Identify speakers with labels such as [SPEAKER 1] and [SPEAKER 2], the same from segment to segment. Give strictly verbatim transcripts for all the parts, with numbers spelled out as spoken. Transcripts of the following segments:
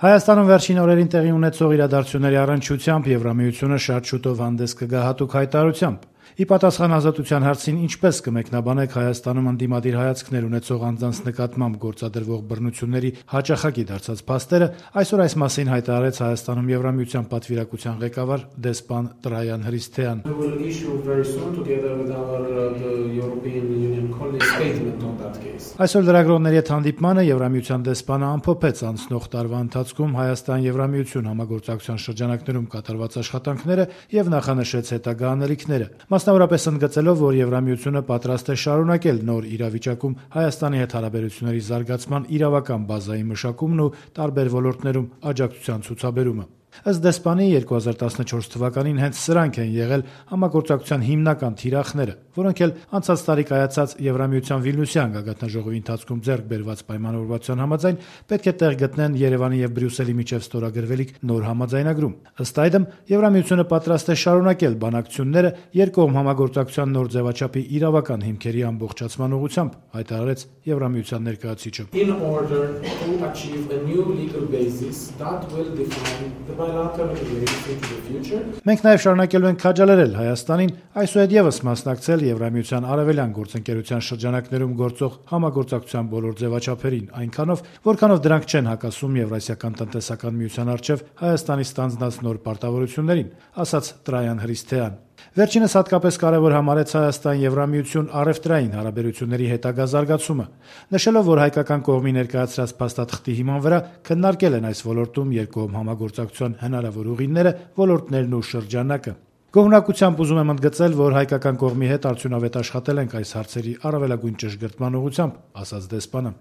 [SPEAKER 1] Հայաստանում վերջին օրերին տեղի ունեցող իրադարձությունների առնչությամբ Եվրամիությունը շատ շուտով հանդես կգա հատուկ հայտարարությամբ։ Ի պատասխան Ազատության հարցին ինչպես կմեկնաբանեք Հայաստանում ընդդիմադիր հայացքներ ունեցող անձանց նկատմամբ գործադրվող բռնությունների հաճախակի դարձած փաստերը, այսօր այս մասին հայտարարեց Հայաստանում Եվրամիության պատվիրակության ղեկավար դեսպան Տրայան Հրիսթեան։ Այսօր լրագրողների հետ հանդիպմանը Եվրամիության դեսպանը ամփոփեց անցնող տարվա ընթացքում Հայաստան-Եվրամիություն համագործակցության շրջանակներում կատարված աշխատանքները եւ նախանշեց հետագա անելիքները, մասնավորապես ընդգծելով, որ Եվրամիությունը պատրաստ է շարունակել նոր իրավիճակում Հայաստանի հետ հարաբերությունների զարգացման իրավական բազայի մշակումն ու տարբեր ոլորտներում աջակցության ցուցաբերումը։ Ըստ դեսպանի երկու հազար տասնչորս թվականին հենց սրանք են եղել համագործակցության հիմնական թիրախները, որոնք էլ անցած տարի կայացած Եվրամիության Վիլնյուսյան գագաթնաժողովի ընթացքում ձեռք բերված պայմանավորվածության համաձայն պետք է տեղ գտնեն Երևանի եւ Բրյուսելի միջև ստորագրվելիք նոր համաձայնագրում։ Ըստ այդմ Եվրամիությունը պատրաստ է շարունակել բանակցությունները երկկողմ համագործակցության նոր ձևաչափի իրավական հիմքերի ամբողջացման ուղղությամբ, հայտարարեց Եվրամիության ներկայացուցիչը։ Մենք նաև շարունակելու ենք քաջալերել Հայաստանին այսուհետ եւս մասնակցել Եվրամիության արևելյան գործընկերության շրջանակներում գործող համագործակցության բոլոր ձևաչափերին, այնքանով, որքանով դրանք չեն հակասում Եվրասիական տնտեսական միության առջև Հայաստանի ստանձնած նոր պարտավորություններին, ասաց Տրայան Հրիսթեան։ Վերջինս հատկապես կարևոր համարեց Հայաստան-Եվրամիություն առևտրային հարաբերությունների հետագա զարգացումը, նշելով, որ հայկական կողմի ներկայացրած փաստաթղթի հիման վրա քննարկել են այս ոլորտում երկկողմ համագործակցության հնարավոր ուղիները, ոլորտներն ու շրջանակը։ Գոհունակությամբ ուզում եմ ընդգծել, որ հայկական կողմի հետ արդյունավետ աշխատել ենք այս հարցերի առավելագույն ճշգրտման ուղղությամբ, ասաց դեսպանը։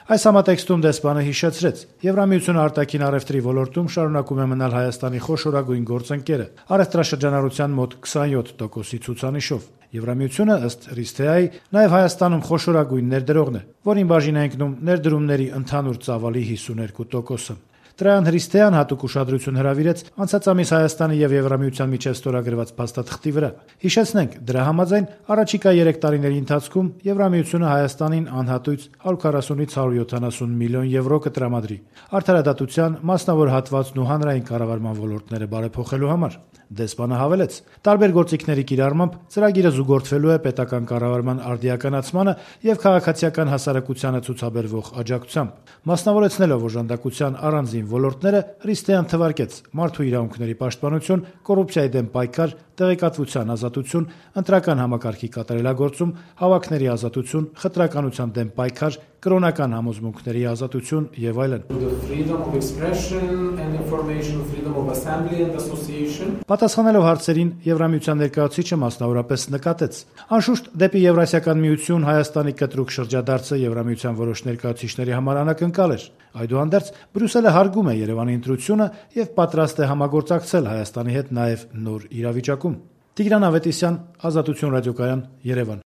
[SPEAKER 1] Այս համատեքստում դեսպանը հիշեցրեց. Եվրամիությունը արտաքին առևտրի ոլորտում շարունակում է մնալ Հայաստանի խոշորագույն գործընկերը, առևտրաշրջանառության մոտ քսանյոթ տոկոսի ցուցանիշով։ Եվրամիությունը, ըստ Հրիսթեայի, նաև Հայաստանում խոշորագույն ներդրողն է, որին բաժին է ընկնում ներդրումների ընդհանուր ծավալի հիսուներկու տոկոսը։ Տրայան Հրիսթեան հատուկ ուշադրություն հրավիրեց անցած ամիս Հայաստանի եւ Եվրամիության միջև ստորագրված փաստաթղթի վրա։ Հիշեցնենք, դրա համաձայն առաջիկա երեք տարիների ընթացքում Եվրամիությունը Հայաստանին անհատույց հարյուր քառասունից հարյուր յոթանասուն միլիոն եվրո կտրամադրի արդարադատության, մասնավոր հատվածն ու հանրային կառավարման ոլորտները բարեփոխելու համար։ Դեսպանը հավելեց. տարբեր գործիքների կիրառմամբ ծրագիրը զուգորդվելու է պետական կառավարման արդիականացմանը եւ քաղաքացիական հասարակությանը ցուցաբերվող աջակցությամբ։ Մասնավորեցնելով օժանդակության առանձին ոլորտները, Հրիսթեան թվարկեց մարդու իրավունքների պաշտպանություն, կոռուպցիայի դեմ պայքար, տեղեկատվության ազատություն, ընտրական համակարգի կատարելագործում, հավաքների ազատություն, խտրականության դեմ պայքար, կրոնական համոզմունքների ազատություն եւ այլն։ Պատասխանելով հարցերին, Եվրամիության ներկայացուցիչը մասնավորապես նկատեց. Անշուշտ, դեպի Եվրասիական միություն Հայաստանի կտրուկ շրջադարձը Եվրամիության որոշ ներկայացուցիչների համար անակնկալ էր։ Այդուհանդերձ, Բրյուսելը հարգում է Երևանի ընտրությունը եւ պատրաստ է համագործակցել Հայաստանի հետ նաեւ նոր իրավիճակում։ Տիգրան Ավետիսյան, Ազատություն ռադիոկայան, Երևան։